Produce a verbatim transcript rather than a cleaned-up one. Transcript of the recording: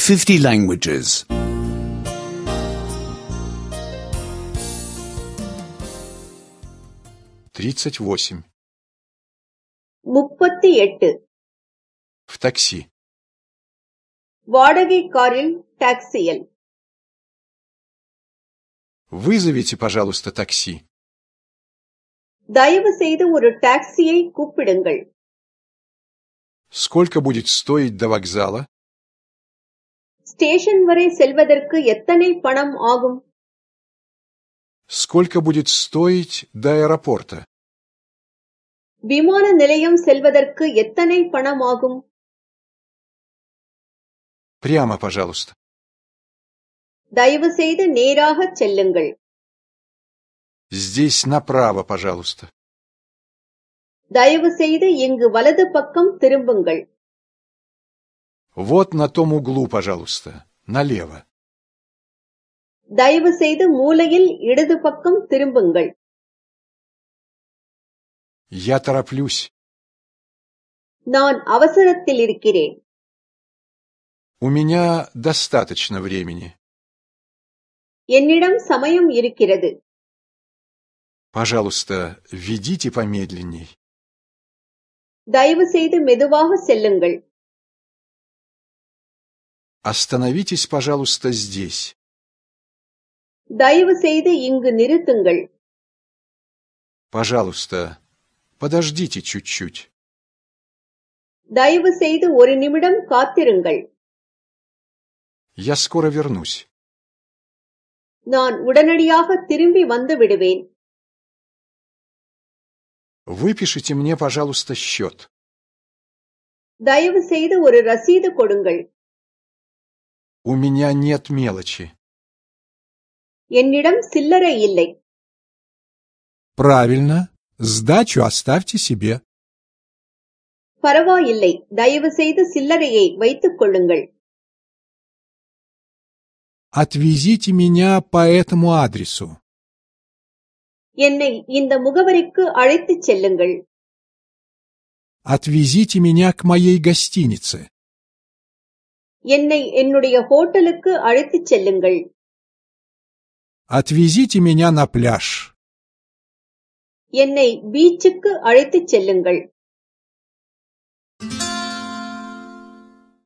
fifty languages. тридцать восемь. முப்பத்தி எட்டு. В такси. வாடகை காரில் டாக்ஸியில். Вызовите, пожалуйста, такси. தயவு செய்து ஒரு டாக்ஸியை கூப்பிடுங்கள். Сколько будет стоить до вокзала? ஸ்டேஷன் வரை செல்வதற்கு எத்தனை பணம் ஆகும்? Сколько будет стоить до аэропорта? விமான நிலையம் செல்வதற்கு எத்தனை பணம் ஆகும்? Прямо, пожалуйста. தயவு செய்து நேராக செல்லுங்கள். Здесь направо, пожалуйста. தயவு செய்து இங்கு வலது பக்கம் திரும்புங்கள். Вот на том углу, пожалуйста. Налево. தயவு செய்து மூலையில் இடது பக்கம் திரும்புங்கள். Я тороплюсь. நான் அவசரத்தில் இருக்கிறேன். У меня достаточно времени. என்னிடம் சமயம் இருக்கிறது. Пожалуйста, ведите помедленней. தயவு செய்து மெதுவாக செல்லுங்கள். Остановитесь, пожалуйста, здесь. தயவு செய்து இங்கு நிறுத்துங்கள். Пожалуйста, подождите чуть-чуть. தயவு செய்து ஒரு நிமிடம் காத்திருங்கள். Я скоро вернусь. நான் உடனடியாக திரும்பி வந்து விடுவேன். Выпишите мне, пожалуйста, счет. தயவு செய்து ஒரு ரசீது கொடுங்கள். У меня нет мелочи. என்னிடம் சில்லறை இல்லை. Правильно. Сдачу оставьте себе. பரவாயில்லை, தயவு செய்து சில்லறையை வைத்துக் கொள்ளுங்கள். Отвезите меня по этому адресу. என்னை இந்த முகவரிக்கு அழைத்துச் செல்லுங்கள். Отвезите меня к моей гостинице. என்னை என்னுடைய ஹோட்டலுக்கு அழைத்துச் செல்லுங்கள். Отвезите меня на пляж. என்னை பீச்சுக்கு அழைத்துச் செல்லுங்கள்.